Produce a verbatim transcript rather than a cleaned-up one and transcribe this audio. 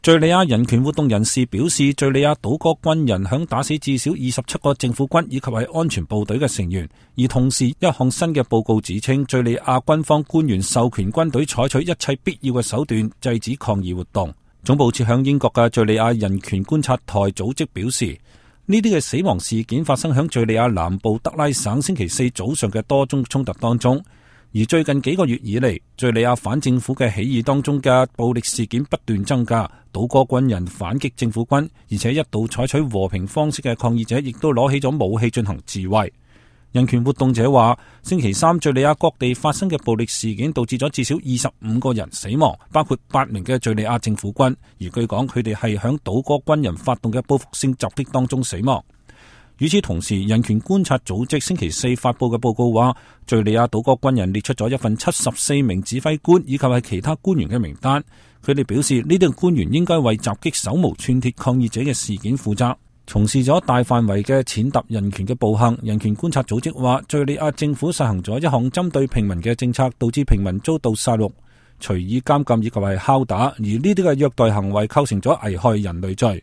敘利亞人權活動人士表示，敘利亞倒戈軍人響打死至少二十七個政府軍以及係安全部隊嘅成員，而同時一項新嘅報告指稱，敘利亞軍方官員授權軍隊採取一切必要嘅手段制止抗議活動。總部設響英國嘅敘利亞人權觀察台組織表示，呢啲嘅死亡事件發生響敘利亞南部德拉省星期四早上嘅多宗衝突當中。而最近幾個月以嚟，敘利亞反政府嘅起義當中嘅暴力事件不斷增加，倒戈軍人反擊政府軍，而且一度採取和平方式嘅抗議者亦都攞起咗武器進行自衛。人權活動者話，星期三敘利亞各地發生嘅暴力事件導致咗至少二十五個人死亡，包括八名嘅敘利亞政府軍，而據講佢哋係響倒戈軍人發動嘅報復性襲擊當中死亡。與此同時，人權觀察組織星期四發佈嘅報告話，敘利亞倒戈軍人列出咗一份七十四名指揮官以及係其他官員嘅名單。佢哋表示，呢啲官員應該為襲擊手無寸鐵抗議者嘅事件負責，從事咗大範圍嘅踐踏人權嘅暴行。人權觀察組織話，敘利亞政府實行咗一項針對平民嘅政策，導致平民遭到殺戮、隨意監禁以及係拷打，而呢啲嘅虐待行為構成咗危害人類罪。